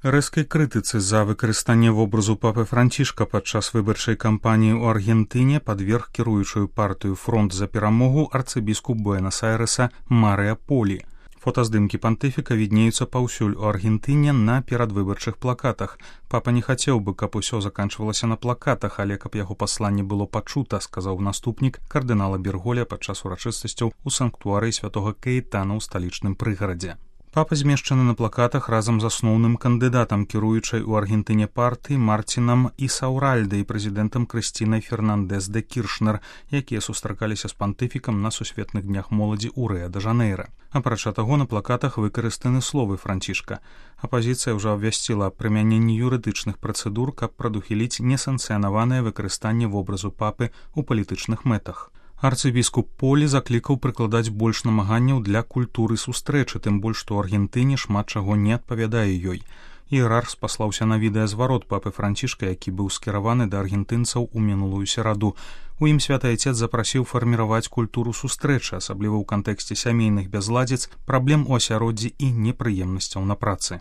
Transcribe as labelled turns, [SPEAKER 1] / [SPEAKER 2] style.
[SPEAKER 1] Рэзкай крытыцы за выкарыстанне вобразу папы Францішка падчас выбарчай кампаніі ў Аргентыне падверг кіруючую партыю «Фронт за перамогу» арцыбіскуп Буэнас-Айрэса Марыя Полі. Фотаздымкі пантыфіка віднеюцца паўсюль у Аргентыне на перадвыбарчых плакатах. Папа не хацеў бы, каб усё заканчвалася на плакатах, але каб яго пасланне было пачута, сказаў наступнік кардынала Берголя падчас урачыстасцяў у санктуарыі святога Каэтана ў сталічным прыгарадзе. Папа змешчаны на плакатах разам з асноўным кандыдатам кіруючай у Аргентыне партыі Мартинам Ісауральда і прэзідэнтам Крыстінай Фернандэс де Кіршнер, якія сустракаліся з пантыфікам на сусветных днях моладзі ў Рыа-дэ-Жанэйра. Апрача таго, на плакатах выкарыстаны словы Францішка. Апазіцыя ўжо абвясціла аб прымяненні юрыдычных працэдур, каб прадухіліць несанкцыянаванае выкарыстанне вобразу папы ў палітычных мэтах. Арцыбіскуп Полі заклікаў прыкладаць больш намаганняў для культуры сустрэчы, тым больш што ў Аргентыне шмат чаго не адпавядае ёй. Іерарх спаслаўся на відэазварот папы Францішка, які быў скіраваны да аргентынцаў у мінулую сераду. У ім святы айцец запрасіў фарміраваць культуру сустрэчы, асабліва ў кантэксце сямейных бязладзіц, праблем у асяроддзі і непрыемнасцяў на працы.